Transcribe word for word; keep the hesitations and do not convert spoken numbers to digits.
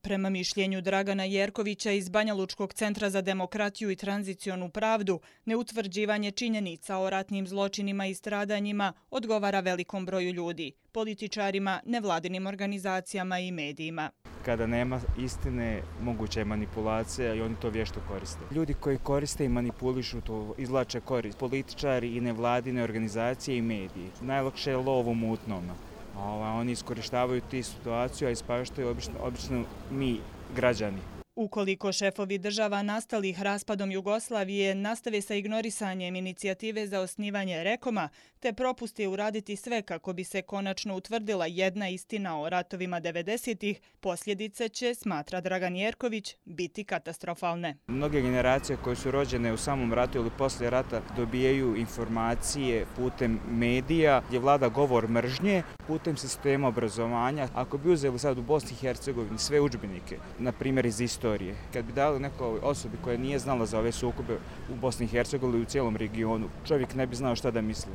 Prema mišljenju Dragana Jerkovića iz Banjalučkog centra za demokratiju i tranzicionu pravdu, neutvrđivanje činjenica o ratnim zločinima i stradanjima odgovara velikom broju ljudi, političarima, nevladinim organizacijama i medijima. Kada nema istine, moguća je manipulacija i oni to vješto koriste. Ljudi koji koriste i manipulišu to izvlače korist. Političari i nevladine organizacije i mediji. Najlakše je lov u mutnom. Oni iskorištavaju tu situaciju, a ispaštaju obično, obično mi, građani. Ukoliko šefovi država nastalih raspadom Jugoslavije nastave sa ignorisanjem inicijative za osnivanje Rekoma, te propuste uraditi sve kako bi se konačno utvrdila jedna istina o ratovima devedesetih, posljedice će, smatra Dragan Jerković, biti katastrofalne. Mnoge generacije koje su rođene u samom ratu ili poslije rata dobijaju informacije putem medija gdje vlada govor mržnje, putem sistema obrazovanja. Ako bi uzeli sad u Bosni i Hercegovini sve udžbenike, na primjer iz istorije, kad bi dali nekoj osobi koja nije znala za ove sukobe u Bosni i Hercegovini ili u cijelom regionu, čovjek ne bi znao šta da misli.